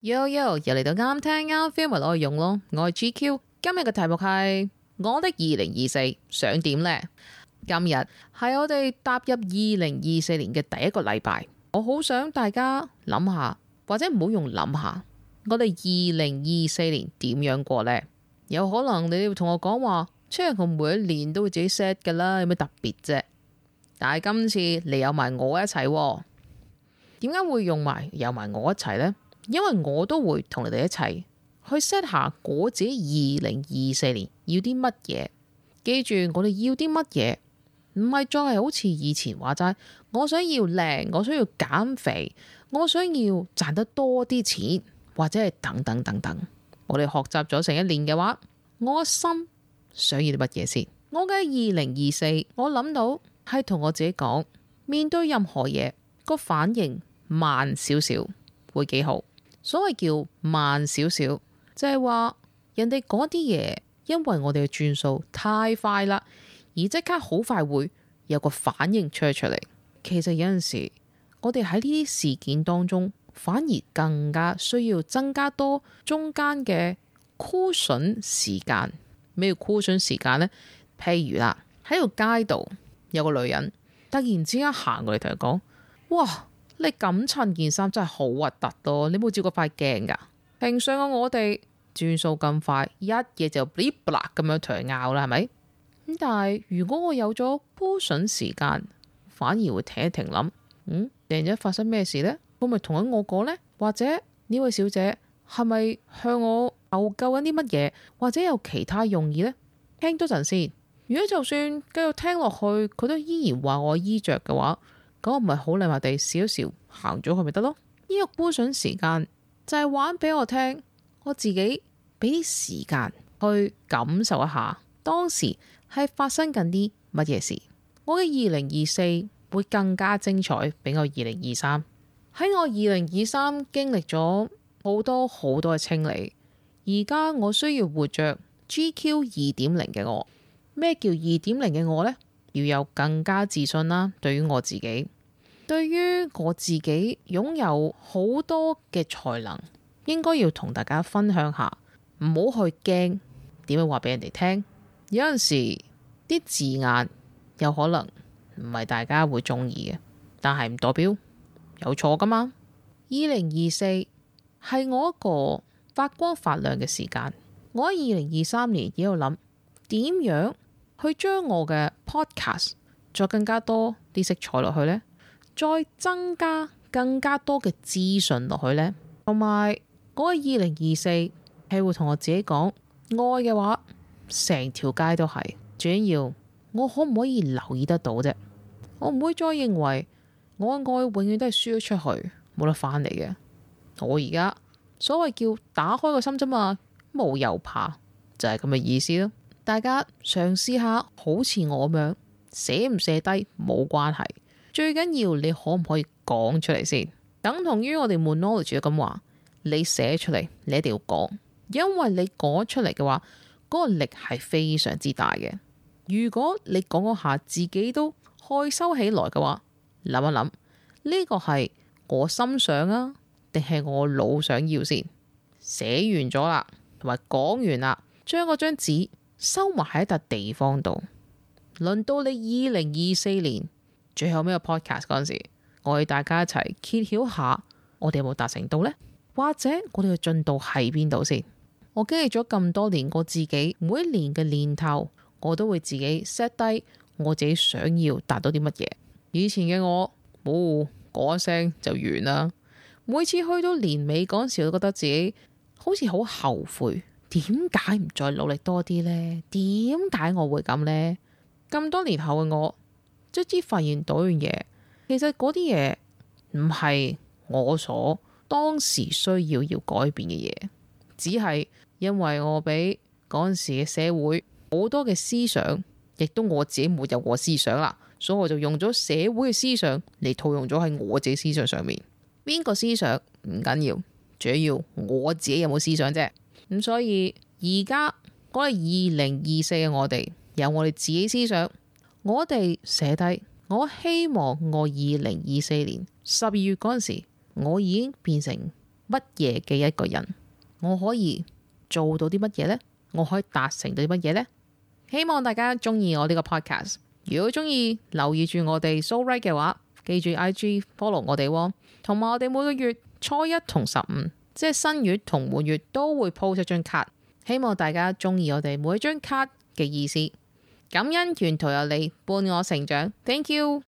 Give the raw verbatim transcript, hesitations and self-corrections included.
Yo yo，又嚟到啱聽啱 feel 咪攞去用咯。我係 G Q， 今日嘅題目係我的二零二四想點呢？今日係我哋踏入二零二四年嘅第一個禮拜，我好想大家諗下，或者唔好用諗下，我哋二零二四年點樣過呢？有可能你會同我講話，即係我每一年都會自己 set 噶啦，有咩特別啫？但係今次你有埋我一齊喎，點解會用埋有埋我一齊呢？因為我都會同你哋一齊去 set 下我自己二零二四年要啲乜嘢。記住我哋要啲乜嘢，唔係再係好似以前話齋，我想要靚，我想要減肥，我想要賺得多啲錢，或者係等等等等。我哋學習咗成一年嘅話，我心想要啲乜嘢先？我嘅二零二四，我諗到係同我自己講，面對任何嘢個反應慢少少會幾好。所謂叫慢少少，就係話人哋嗰啲嘢，因為我哋嘅轉數太快啦，而即刻好快會有個反應出出嚟。其實有陣時，我哋喺呢啲事件當中，反而更加需要增加多中間嘅 cushion 時間。咩叫 cushion 時間呢？譬如啦，喺條街度有個女人突然之間行過嚟同佢講：哇！你咁襯件衫真係好核突咯！你冇照過塊鏡噶？平常嘅我哋轉數咁快，一嘢就 blip 啦咁樣同佢拗啦，係咪？咁但係如果我有咗 cushion 時間，反而會停一停諗，嗯，突然間發生咩事呢？會唔會同緊我講呢？或者呢位小姐係咪向我求救緊啲乜嘢？或者有其他用意呢？聽多陣先。如果就算繼續聽落去，佢都依然話我衣着嘅話，咁我唔係好禮貌地笑一笑行咗去咪得咯？呢個cushion時間就係玩俾我聽，我自己俾啲時間去感受一下當時係發生緊啲乜嘢事。我嘅二零二四會更加精彩，比我二零二三。喺我二零二三經歷咗好多好多嘅清理，而家我需要活着 G Q 二點零嘅我。咩叫二點零嘅我呢？要有更加自信啦，對於我自己，對於我自己擁有好多嘅才能，應該要同大家分享下，唔好去驚點樣話俾人哋聽。有陣時啲字眼有可能唔係大家會中意嘅，但係唔代表有錯噶嘛。二零二四係我一個發光發亮嘅時間。我喺二零二三年喺度諗點樣去將我嘅 podcast 再更加多啲色彩落去呢，再增加更加多嘅資訊落去呢。同埋我嘅二零二四係會同我自己講，愛嘅話成條街都係，最緊要我可唔可以留意得到啫？我唔會再認為我嘅愛永遠都係輸咗出去冇得翻嚟嘅。我而家所謂叫打開個心啫嘛，冇又怕就係咁嘅意思咯。大家嘗試下好似我咁樣寫唔寫低冇關係，最緊要你可唔可以講出嚟先。等同於我哋 Monology 咁話，你寫出嚟你一定要講，因為你講出嚟嘅話嗰個力係非常之大嘅。如果你講嗰下自己都害羞起來嘅話，諗一諗呢個係我心想啊定係我腦想要先。寫完咗啦同埋講完啦，將嗰張紙收埋喺一笪地方度，輪到你二零二四年最後尾個 podcast 嗰陣時，我哋大家一齊揭曉下我哋有冇達成到呢？或者我哋嘅進度喺邊度先？我經歷咗咁多年，我自己每一年嘅年頭，我都會自己 set 低我自己想要達到啲乜嘢。以前嘅我冇講一聲就完啦，每次去到年尾嗰陣時，我都覺得自己好似好後悔。點解唔再努力多啲呢？點解我會咁呢？咁多年後嘅我，卒之發現到樣嘢，其實嗰啲嘢唔係我所當時需要要改變嘅嘢，只係因為我俾嗰陣時嘅社會好多嘅思想，亦都我自己冇有我思想啦，所以我就用咗社會嘅思想嚟套用咗喺我自己思想上面。邊個思想唔緊要，最要我自己有冇思想啫。咁所以而家我哋二零二四嘅我哋有我哋自己思想，我哋寫低，我希望我二零二四年十二月嗰陣時，我已經變成乜嘢嘅一個人？我可以做到啲乜嘢呢？我可以達成到啲乜嘢呢？希望大家中意我呢個 podcast。如果中意留意住我哋 So Right 嘅話，記住 I G follow 我哋喎。同埋我哋每個月初一同十五，即係新月同滿月都會 post 一張卡。希望大家中意我哋每一張卡嘅意思。感恩沿途有你伴我成長，Thank you。